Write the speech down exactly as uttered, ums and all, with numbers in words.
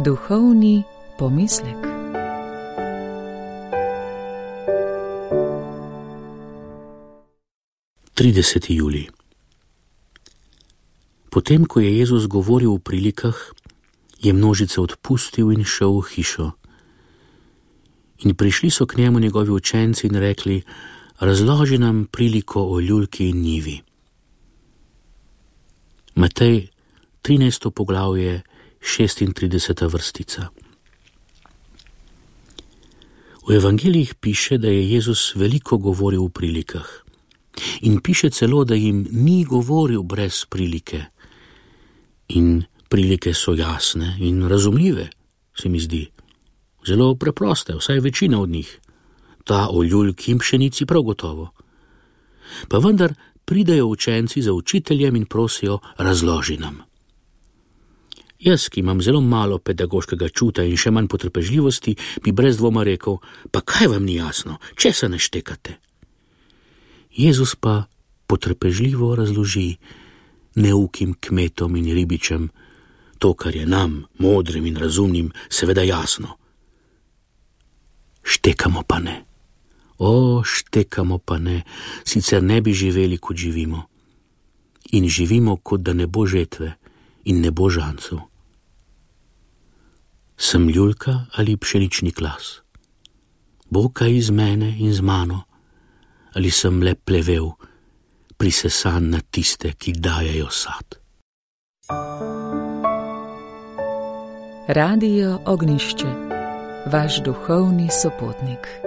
Duhovni pomislek. trideseti julij. Potem, ko je Jezus govoril v prilikah, je množice odpustil in šel v hišo. In prišli so k njemu njegovi učenci in rekli: razloži nam priliko o ljulki in njivi. Matej, trinajsto poglavje, šestintrideseta vrstica. V evangelijih piše, da je Jezus veliko govoril v prilikah. In piše celo, da jim ni govoril brez prilike. In prilike so jasne in razumljive, se mi zdi. Zelo preproste, vsaj večina od njih. Ta o ljulki in pšenici prav gotovo. Pa vendar pridejo učenci za učiteljem in prosijo: razloži nam. Jaz, ki imam zelo malo pedagoškega čuta in še manj potrpežljivosti, bi brez dvoma rekel: pa kaj vam ni jasno, česa ne štekate? Jezus pa potrpežljivo razloži neukim kmetom in ribičem to, kar je nam, modrim in razumnim, seveda jasno. Štekamo pa ne. O, štekamo pa ne, sicer ne bi živeli, kot živimo. In živimo, kot da ne bo žetve in ne bo žancev. Sem ljulka ali pšenični klas? Bo kaj iz mene in z mano? Ali sem le plevel, prisesan na tiste, ki dajejo sad? Radio Ognjišče, vaš duhovni sopotnik.